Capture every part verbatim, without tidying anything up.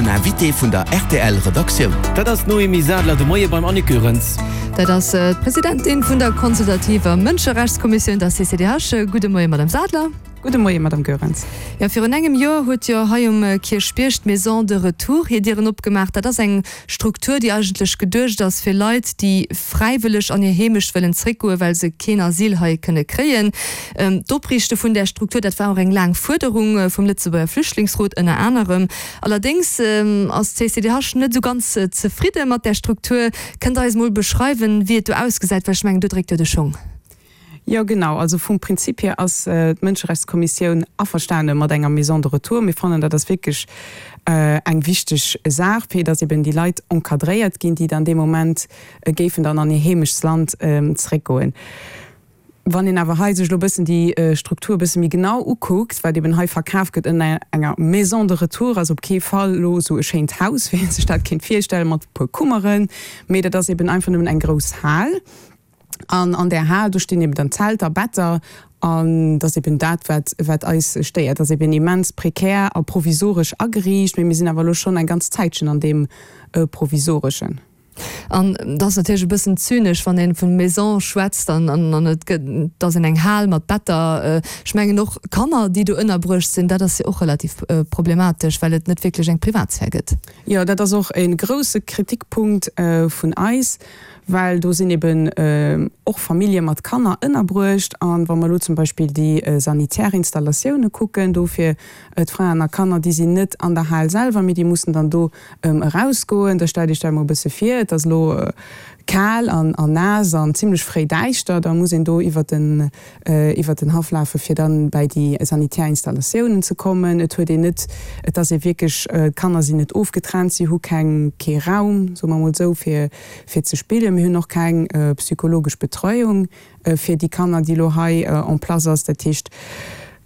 den Invité vun der R T L Redaktioun. Dat ass d'Noémie Sadler de Moie beim Annick Goerens. Dat ass d'Presidentin vun der consultativer Mënscherechtskommissioun, der C C D H. Gudde Moie, Madame Sadler. Gudde Moie, Madame Goerens. Jo, virun engem Joer huet jo hei um Kierchbierg d'Maison de Retour hir Dieren opgemaach. Dat ass eng Struktur, déi eigentlech geduecht ass fir Leit, déi fräiwëlleg an hir Heemecht wëllen zréckgoen, well se keen Asyl hei kënne kréien. D'Opriichte vun där Struktur, dat war och eng laang Fuerderung vum Lëtzebuerger Flüchtlingsrot ënner anerem. Allerdéngs ass d'C C D H net esou ganz zefridde mat där Struktur. Kënnt Der eis mol beschreiwen, wéi et do ausgesäit? Well ech mengen, do dréckt jo de Schong. Jo, genau. Also vum Prinzip hier ass d'Mënscherechtskommissioun averstane mat enger Maison de retour. Mir fannen, dat ass wierklech eng wichteg Saach, fir datt eben déi Leit encadréiert ginn, déi dann dee Moment géifen dann an hir Heemechtsland zréckgoen. Wann een awer hei sech elo e bëssen déi Struktur e bësse méi genau ukuckt, wat eben hei verkaf gëtt ënner enger Maison de retour, ass op kee Fall elo esou e schéint Haus, wéi ee sech dat kéint virstellen, mat e puer Kummeren, mee dat ass eben einfach nëmmen eng grouss Hal. An an där Hal, do stinn eben dann Zelter, Better, an dat ass eben dat, wat, wat eis stéiert. Dat ass eben immens prekär a provisoresch ageriicht, mee mir sinn awer elo schonn eng ganz Zäitchen an deem Provisoreschen. An et ass natierlech e bëssen zynesch, wann ee vu Maison schwätzt an, an et gëtt, et ass een eng Hal mat Better. Ech mengen och Kanner, déi do ënnerbruecht sinn, dat ass jo och relativ problematesch, well et net wierklech eng Privatsphär gëtt. Jo, dat ass och e grousse Kritikpunkt vun eis, well do sinn eben och Famillje mat Kanner ënnerbruecht. An wa mer elo zum Beispill déi sanitär Installatioune kucken, do fir d'Fraen a Kanner, déi sinn net an der Hal selwer, mee déi mussen dann do erausgoen. Da stellt Iech dat emol e bësse vir, et ass elo kal an naass an zimlech fréi däischter, da muss een do iwwer den iwwer den Haff lafen, fir dann bäi déi sanitär Installatiounen ze kommen. Et huet een net, et ass ee wierklech, d'Kanner sinn net ofgetrennt, si hu keng, kee Raum, soe mer emol esou, fir fir ze spillen. Mir hunn och keng psychologesch Betreuung fir déi Kanner, déi elo hei en place ass. Dat heescht,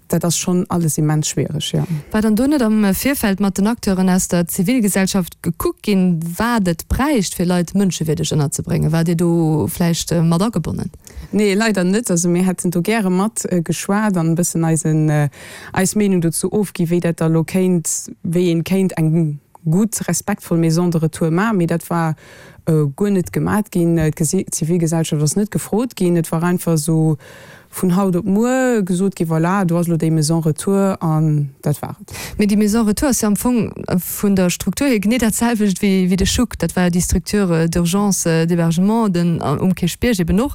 dat ass schonn alles immens schwiereg, jo. War dann do net am Virfeld mat den Acteuren aus der Zivilgesellschaft gekuckt ginn, wat et bräicht, fir Leit mënschewierdeg ënnerzebréngen? Waart Dir do vläicht mat agebonnen? Nee, leider net. Also mir hätten do gäre mat geschwat an e bëssen eisen, eis Meenung dozou ofginn, wéi dat da elo kéint, wéi een kéint eng gutt, respektvoll Maison de retour maachen. Mee dat war guer net gemat ginn. D'Zivilgesellschaft ass net gefrot ginn. Et war einfach esou vun haut op muer gesot ginn, voilà, do ass elo déi Maison retour an dat war et. Mee déi Maison retour ass jo am Fong vun der Struktur hier genee dat selwecht wéi de Schuck. Dat war jo déi Structure d'urgence d'hébergement, den um Kierchbierg eben och.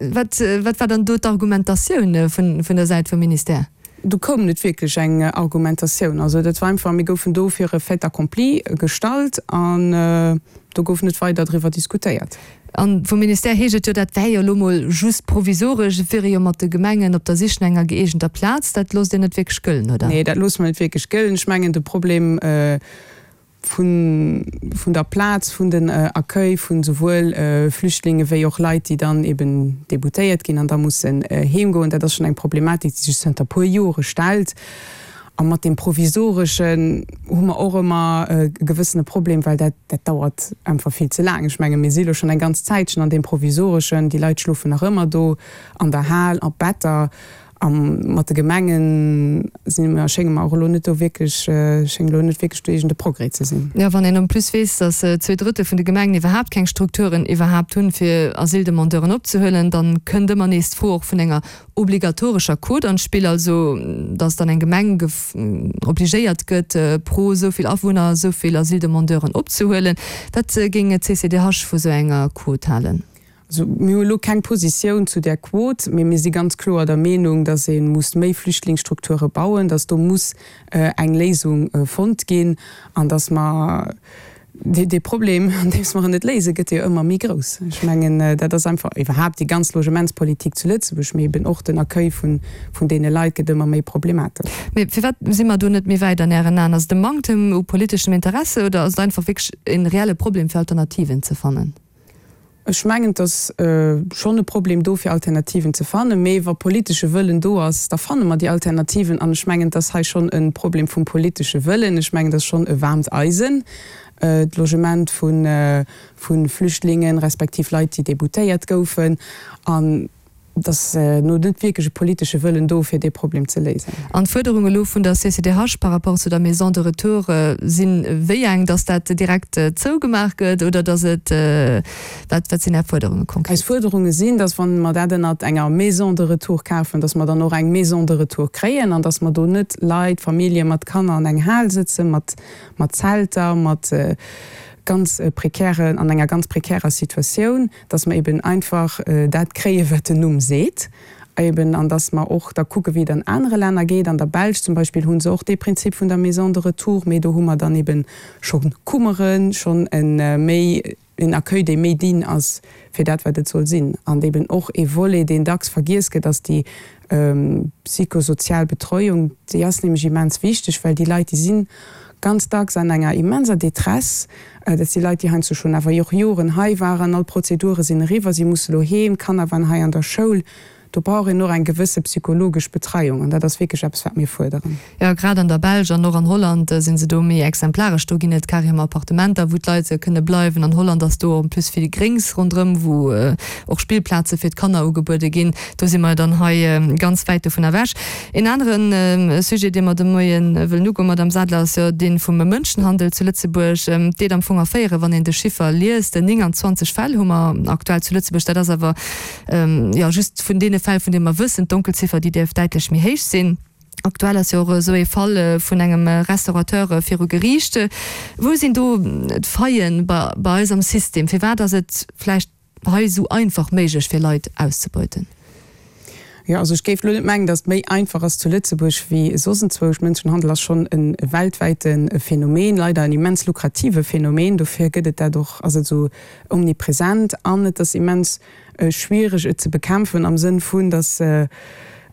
Wat, wat war dann do d'Argumentatioun vun, vun der Säit vum Ministère? Do koum net wierklech eng Argumentatioun. Also dat war einfach, mir goufen do fir e Fait accompli gestallt an do gouf net weider driwwer diskutéiert. An vum Ministère heescht et jo, dat wär jo elo mol just provisoresch, et wier ee jo mat de Gemengen op der Sich no enger gëeegenter Plaz. Dat loosst Dir net wierklech gëllen, oder? Nee, dat loosse mer net wierklech gëllen. Ech mengen, de Problem vun vun der Plaz, vun den Accueil vun souwuel Flüchtlinge wéi och Leit, déi dann eben déboutéiert ginn an da mussen heemgoen, dat ass schonn eng Problematik, déi sech zënter e puer Jore stellt. A mat deem Provisoreschen hu mer och ëmmer e gewëssene Problem, well dat dat dauert einfach vill ze laang. Ech menge mir si lo schonn eng ganz Zäitchen an deem Provisoreschen, déi Leit schlofen nach ëmmer do an der Hal, op Better. A mat de Gemenge si mer, schénge mer och elo net do wierklech, schéngt elo net wierklech do iergend e Progrès ze sinn. Jo, wann een en plus weess, datt zwee Drëttel vun de Gemengen iwwerhaapt keng Strukturen iwwerhaapt hunn, fir Asyldemandeuren opzehuelen, da kënnt ëmmer nees d'Fro och vun enger obligatorescher Quot an d'Spill, also datt dann eng Gemeng obligéiert gëtt, pro esou vill Awunner esou vill Asyldemandeuren opzehuelen. Wat géing d'C C D H vu sou enger Quot halen? Also mir hu elo keng Positioun zu där Quot, mee mir si ganz kloer der Meenung, datt ee muss méi Flüchtlingsstrukture bauen, datt do muss eng Léisung fonnt ginn an datt mer dee Problem, andeems mer en net léisen, gëtt jo ëmmer méi grouss. Ech mengen, dat ass einfach iwwerhaapt déi ganz Logementspolitik zu Lëtzebuerg, mee eben och den Accueil vun deene Leit gëtt ëmmer méi problematesch. Mee firwat si mer do net méi wäit an Ären Aen? Ass et e Manktem u politeschem Interesse oder ass et einfach wierklech e reelle Problem, fir Alternativen ze fannen? Ech mengen, et ass schonn e Problem do, fir Alternativen ze fannen. Mee wa politesche Wëllen do ass, da fanne mer déi Alternativen. An ech mengen, et ass hei schonn e Problem vum politesche Wëllen. Ech mengen, et ass schonn e waarmt Eisen, d'Logement vu Flüchtlingen, respektiv Leit, déi déboutéiert goufen. An Et ass no net wierklech e politesche Wëllen do, fir dee Problem ze léisen. An d'Fuerderunge elo vun der CCDH par rapport zu der Maison de retour si wéi eng? Datt dat direkt zougemaach gëtt oder datt et, wat, wat sinn Är Fuerderunge konkret? Eis Fuerderunge sinn, datt wa mer dat ënnert enger Maison de retour kafen, datt mer dann och eng Maison de retour kréien an datt mer do net Leit, Famillje mat Kanner an eng Hal sëtze mat, mat Zelter, mat ganz prekären, an enger ganz prekärer Situatioun, dass mer eben einfach dat kréien, wat den Numm seet eben, an dass mer och da kucken, wéi et an anere Länner geet. An der Belsch zum Beispill hu se och dee Prinzip vun der Maison de retour, mee do hu mer dann eben scho Kummeren, schonn e méi, en Accueil, dee méi digne ass fir dat, wat et soll sinn. An eben och e Volet, deen dacks vergiess gëtt, ass déi psychosozial Betreuung. Déi ass nämlech immens wichteg, well déi Leit, déi sinn ganz dacks an enger immenser Détresse. Dat si Leit, déi heiansdo schonn awer och Joren hei waren, all Prozedure sinn eriwwer, si musse lo heem, d'Kanner waren hei an der Schoul. Do brauch een och eng gewësse psychologesch Betreiung an dat ass wierklech eppes, wat mir fuerderen. Jo, grad an der Belsch an och an Holland si se do méi exemplaresch. Do ginn et carrément Appartementer, wou d'Leit kënne bleiwen. An Holland ass do en plus vill Gréngs ronderëm, wou och Spillplaze fir d'Kanner ugebuede ginn. Do si mer dann hei ganz wäit dovun ewech. Een anere Sujet, dee mer de Moie wëllen ugoen, Madamm Sadler, ass jo dee vum Mënschenhandel zu Lëtzebuerg. Et deet am Fong erféieren, wann een de Chiffer liest. nénganzwanzeg Fäll hu mer aktuell zu Lëtzebuerg. Dat ass awer jo just vun deene Fäll, vun deene mer wëssen. D'Donkelziffer, déi däerf däitlech méi héich sinn. Aktuell ass jo och esou ee Fall vun engem Restaurateur viru Geriicht. Wou sinn do d'Faillen bei eis am System? Firwat ass et vläicht hei esou einfach méiglech, fir Leit auszebeuten? Jo, also ech géif elo net mengen, datt et méi einfach ass zu Lëtzebuerg wéi soss enzwousch. Mënschenhandel ass schonn e weltwäite Phänomen, leider en immens lukrative Phänomen. Dofir gëtt et dat och, ass et esou omnipresent an et ass immens schwiereg et ze bekämpfen am Sënn vun, datt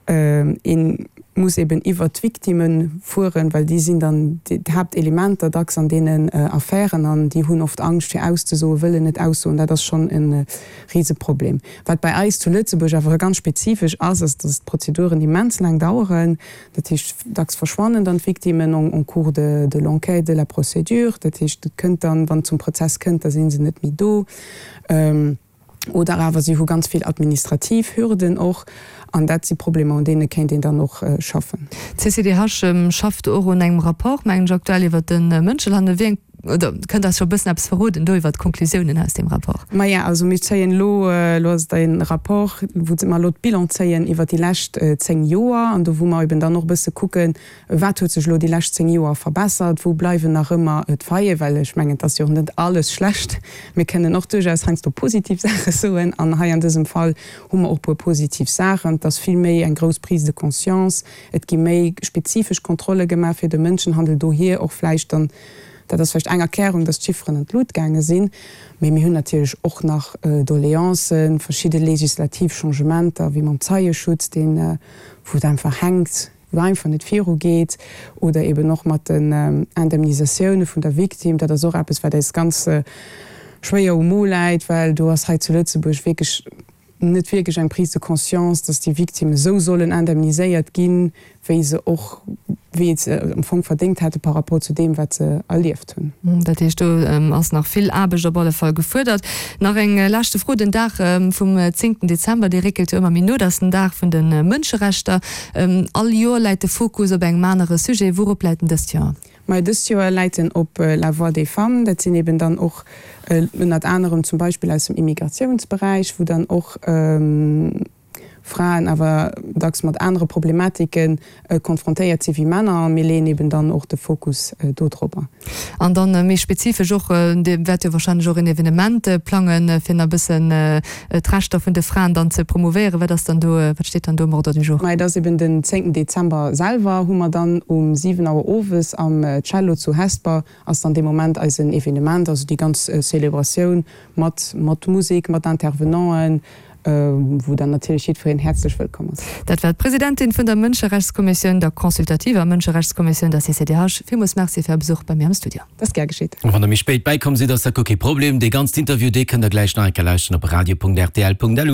ee muss eben iwwert d'Victimme fueren, well déi sinn dann d'Haaptelementer dacks an deenen Affären an déi hunn oft Angscht fir auszesoen, wëllen net aussoen. Dat ass schonn e Riseproblem. Wat bei eis zu Lëtzebuerg awer ganz spezifesch ass, ass, datt d'Prozeduren immens laang daueren. Dat heescht, dacks verschwannen dann d'Victimmen en cours de l'enquête, de la procédure. Dat heescht, et kënnt dann, wann et zum Prozess kënnt, da si se net méi do. Oder awer si hu ganz vill administrativ Hürden och. An dat si Problemer, un deene kéint een dann och schaffen. D'CCDH schafft och un engem Rapport, mengen ech, aktuell iwwert de Mënschehandel. Wéi eng, oder kënnt Der eis scho e bëssen eppes verroden do iwwert d'Konklusiounen aus deem Rapport? Maja, also mir zéien elo, elo ass et e Rapport, wou mer elo d'Bilan zéien iwwert déi lescht zéng Joer an do wou mer eben dann och e bësse kucken, Wat huet sech elo déi lescht zéng Joer verbessert? Wou bleiwen nach ëmmer d'Faillen? Well ech mengen, et ass jo och net alles schlecht. Mir kënnen och duerchaus heiansdo positiv Saache soen. An hei an dësem Fall hu mer och e puer positiv Saachen. Et ass vill méi eng grouss Prise de conscience. Et gi méi spezifesch Kontrolle gemaach fir de Mënschenhandel. Dohier och vläicht dann, dat ass vläicht eng Erklärung, dass d'Chifferen an d'Lut gaange sinn. Mee mir hunn natierlech och nach Doleancen, verschidde legislativ Changementer, wéi mam Zeieschutz, deen, wou et einfach hänkt. wou einfach net viru geet, oder eben och mat den Indemnisatioune vun der Victime, dat ass och eppes, wat eis ganz schwéier um Mo läit, well do ass hei zu Lëtzebuerg wierklech net wierklech eng Prise de conscience, dass déi Victimen esou sollen indemniséiert ginn, wéi se och, wéi et se am Fong verdéngt hätte par rapport zu deem, wat se erlieft hunn. Dat heescht, do ass nach vill Aarbecht op alle Fall gefuerdert. Nach eng leschte Fro, Den Dag vum zéngten Dezember, dee réckelt jo ëmmer méi no, dat ass den Dag vun de Mënscherechter. All Joer läit de Fokus op engem anere Sujet. Wourop läit en dëst Joer? Majo, dëst Joer läit en op La voix des femmes. Dat sinn eben dann och ënnert anerem zum Beispill aus dem Immigratiounsberäich, wou dann och, Fraen awer dacks mat anere Problematike konfrontéiert si wéi Männer a mir leeën eben dann och de Fokus do drobber. An dann méi spezifesch och, Dir wäert jo wahrscheinlech och en Evenement plangen, fir nach e bëssen d'Rechter vun de Fraen dann ze promouvéieren. Wat ass dann do, wat steet dann do um Ordre du jour? Majo, et ass eben den zéngten Dezember selwer, hu mer dann um siwen Auer owes am Cello zu Hesper ass dann dee Moment eisen Evenement, also déi ganz Celebratioun mat mat Musek, mat Intervenanten, wou dann natierlech jiddwereen häerzlech wëllkomm ass. Dat war d'Presidentin vun der Mënscherechtskommissioun, der consultativer Mënscherechtskommissioun, der C C D H. Villmools Merci fir Är Besuch bei mir am Studio. Dat ass gär geschitt. Wann der méi spéit bäikomm sidd, ass dat guer kee Problem. Dee ganzt Interview, dee kënnt der gläich nach eng Kéier lauschteren op radio punkt rtl punkt lu.